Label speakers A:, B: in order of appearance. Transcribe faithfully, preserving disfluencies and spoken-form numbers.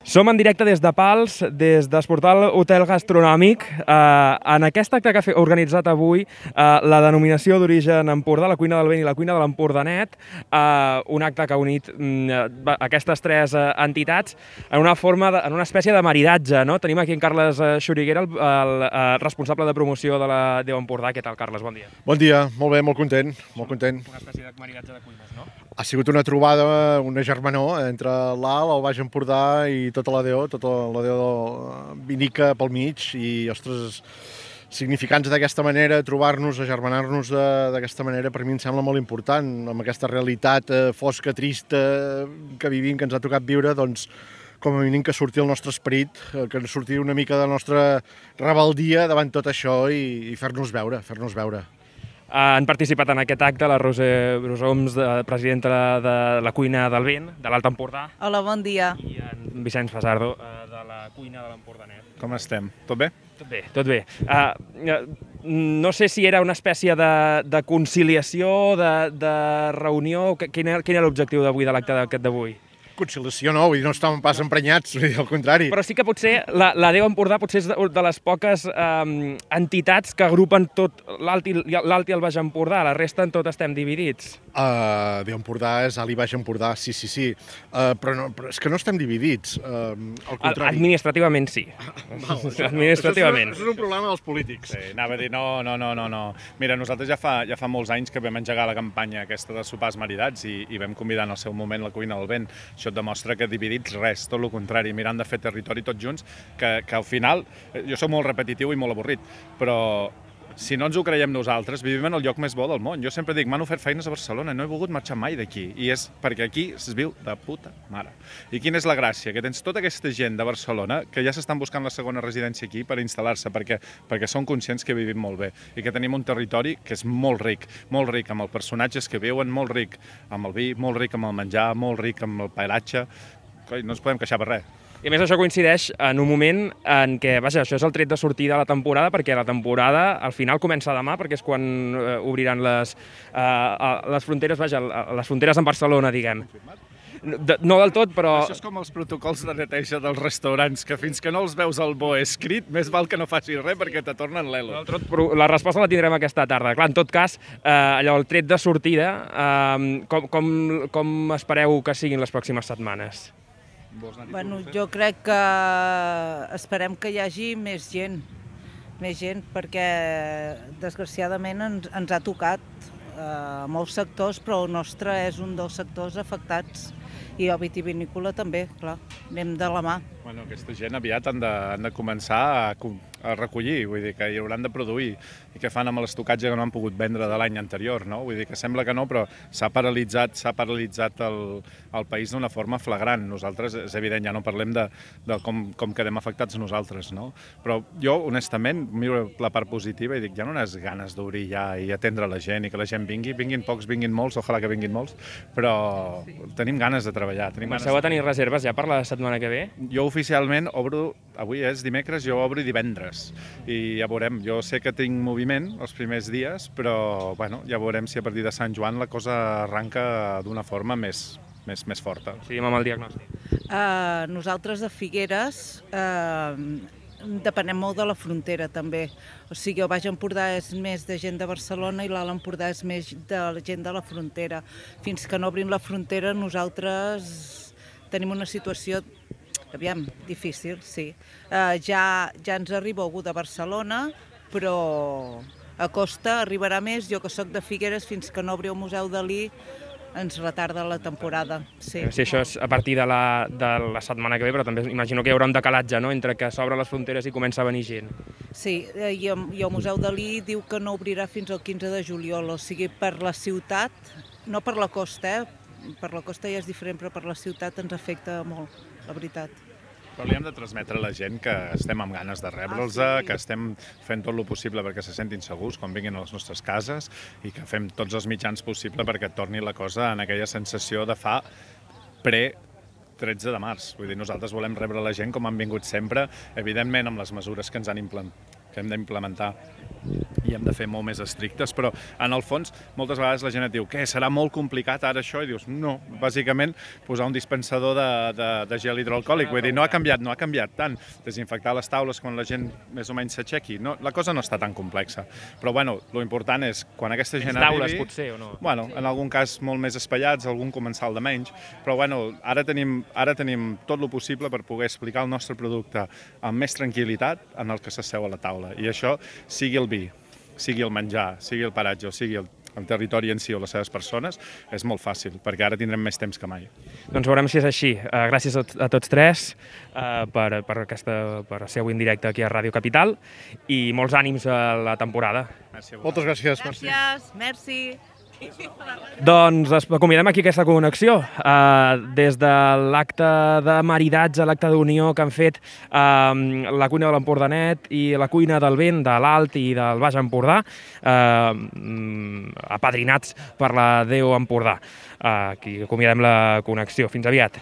A: Som en directe des de Pals, des d'Esportal Hotel Gastronòmic. Eh, en aquest acte que ha organitzat avui eh, la denominació d'origen Empordà, la cuina del vent i la cuina de l'Empordanet, eh, un acte que ha unit mm, aquestes tres eh, entitats en una forma, de, en una espècie de maridatge, no? Tenim aquí en Carles Xuriguera, el, el, el responsable de promoció de la Déu Empordà. Què tal, Carles? Bon dia.
B: Bon dia, molt bé, molt content, molt content.
A: Una espècie de maridatge de cuines, no?
B: Ha sigut una trobada, una germanor entre l'Alt, el Baix Empordà i tota la Déu, tota la Déu vinica pel mig i, ostres, significants d'aquesta manera, trobar-nos, agermanar-nos d'aquesta manera, per mi em sembla molt important, amb aquesta realitat fosca, trista que vivim, que ens ha tocat viure, doncs, com a mínim que surti el nostre esperit, que surti una mica de la nostra rebeldia davant tot això i, i fer-nos veure, fer-nos veure.
A: Han participat en aquest acte la Roser Brosoms, presidenta de la cuina del vent, de l'Alt Empordà.
C: Hola, bon dia.
A: I en Vicenç Fasardo, de la cuina de l'Empordanet.
D: Com estem? Tot bé?
A: Tot bé, tot bé. Uh, no sé si era una espècie de, de conciliació, de, de reunió. Quin era, quin era l'objectiu d'avui, de l'acte d'aquest d'avui?
B: Conciliació no, vull dir, no estàvem pas emprenyats, vull dir, al contrari.
A: Però sí que potser la, la Déu Empordà potser és de, de les poques um, entitats que agrupen tot l'Alt i, l'Alt i el Baix Empordà, la resta en tot estem dividits.
B: Uh, Déu Empordà és Alt i Baix Empordà, sí, sí, sí, uh, però, no, però és que no estem dividits, uh, al contrari.
A: Administrativament sí.
B: Val,
A: Administrativament.
B: Això és, un, això és un problema dels polítics.
D: Sí, anava a dir, no, no, no, no, no. Mira, nosaltres ja fa, ja fa molts anys que vam engegar la campanya aquesta de sopars maridats i, i vam convidar en el seu moment la cuina del vent. Això et demostra que dividits res, tot el contrari, mirant de fer territori tots junts, que, que al final, jo soc molt repetitiu i molt avorrit, però si no ens ho creiem nosaltres, vivim en el lloc més bo del món. Jo sempre dic, m'han ofert feines a Barcelona, no he volgut marxar mai d'aquí, i és perquè aquí es viu de puta mare. I quina és la gràcia? Que tens tota aquesta gent de Barcelona que ja s'estan buscant la segona residència aquí per instal·lar-se, perquè, perquè són conscients que vivim molt bé i que tenim un territori que és molt ric, molt ric amb els personatges que viuen, molt ric amb el vi, molt ric amb el menjar, molt ric amb el paeratge. No ens podem queixar per res.
A: I a més això coincideix en un moment en què, vaja, això és el tret de sortida de la temporada, perquè la temporada al final comença demà, perquè és quan eh, obriran les, eh, les fronteres, vaja, les fronteres en Barcelona, diguem. De, no del tot, però...
D: Això és com els protocols de neteja dels restaurants, que fins que no els veus al bo escrit, més val que no facis res perquè te tornen l'elo.
A: La resposta la tindrem aquesta tarda. Clar, en tot cas, eh, allò, el tret de sortida, eh, com, com, com espereu que siguin les pròximes setmanes?
C: Bueno, jo crec que esperem que hi hagi més gent, més gent, perquè desgraciadament ens, ens ha tocat eh, molts sectors, però el nostre és un dels sectors afectats. I el vitivinícola també, clar, anem de la mà.
D: Bueno, aquesta gent aviat han de, han de començar a, a recollir, vull dir que hi hauran de produir. I què fan amb l'estocatge que no han pogut vendre de l'any anterior, no? Vull dir que sembla que no, però s'ha paralitzat, s'ha paralitzat el, el país d'una forma flagrant. Nosaltres, és evident, ja no parlem de, de com, com quedem afectats nosaltres, no? Però jo, honestament, miro la part positiva i dic, hi ha unes ganes d'obrir ja i atendre la gent i que la gent vingui, vinguin pocs, vinguin molts, ojalà que vinguin molts, però tenim ganes de treballar.
A: Comenceu a tenir reserves ja per la setmana que ve?
D: Jo oficialment obro, avui és dimecres, jo obro divendres i ja veurem, jo sé que tinc moviment els primers dies, però bueno, ja veurem si a partir de Sant Joan la cosa arranca d'una forma més, més, més forta.
A: Seguim amb el diagnòstic.
C: Uh, nosaltres de Figueres uh, depenem molt de la frontera també, o sigui, el Baix Empordà és més de gent de Barcelona i l'Alt Empordà és més de la gent de la frontera. Fins que no obrim la frontera nosaltres tenim una situació, aviam, difícil, sí. Uh, ja, ja ens arriba algú de Barcelona, però a costa arribarà més. Jo que sóc de Figueres, fins que no obri el Museu Dalí, ens retarda la temporada. Sí,
A: sí, això és a partir de la, de la setmana que ve, però també imagino que hi haurà un decalatge, no?, entre que s'obren les fronteres i comença a venir gent.
C: Sí, i el, i el Museu Dalí diu que no obrirà fins al quinze de juliol, o sigui, per la ciutat, no per la costa, eh? Per la costa ja és diferent, però per la ciutat ens afecta molt, la veritat.
D: Però li hem de transmetre a la gent que estem amb ganes de rebre'ls, ah, sí. que estem fent tot el possible perquè se sentin segurs quan vinguin a les nostres cases i que fem tots els mitjans possibles perquè torni la cosa en aquella sensació de fa pre tretze de març. Vull dir, nosaltres volem rebre la gent com han vingut sempre, evidentment amb les mesures que ens han implementat, que hem d'implementar i hem de fer molt més estrictes, però en el fons moltes vegades la gent et diu què, serà molt complicat ara això? I dius, no, bàsicament posar un dispensador de, de, de gel hidroalcohòlic, vull dir, no ha canviat, no ha canviat tant, desinfectar les taules quan la gent més o menys s'aixequi, no, la cosa no està tan complexa, però bueno, lo important és quan aquesta gent arribi...
A: taules, potser, o no?
D: Bueno, en algun cas molt més espaiats, algun comensal de menys, però bueno, ara tenim, ara tenim tot lo possible per poder explicar el nostre producte amb més tranquil·litat en el que s'asseu a la taula, i això sigui el vi, sigui el menjar, sigui el paratge o sigui el, el territori en si o les seves persones, és molt fàcil, perquè ara tindrem més temps que mai.
A: Doncs veurem si és així. Uh, gràcies a, a tots tres uh, per, per, aquesta, per ser avui en directe aquí a Ràdio Capital i molts ànims a la temporada.
D: Merci a
B: Moltes gràcies.
C: Gràcies, merci.
A: Doncs es acomiadem aquí aquesta connexió. Uh, des de l'acte de maridatge, l'acte d'unió que han fet uh, la cuina de l'Empordanet i la cuina del Vent, de l'Alt i del Baix Empordà, uh, apadrinats per la Déu Empordà. Uh, aquí acomiadem la connexió. Fins aviat.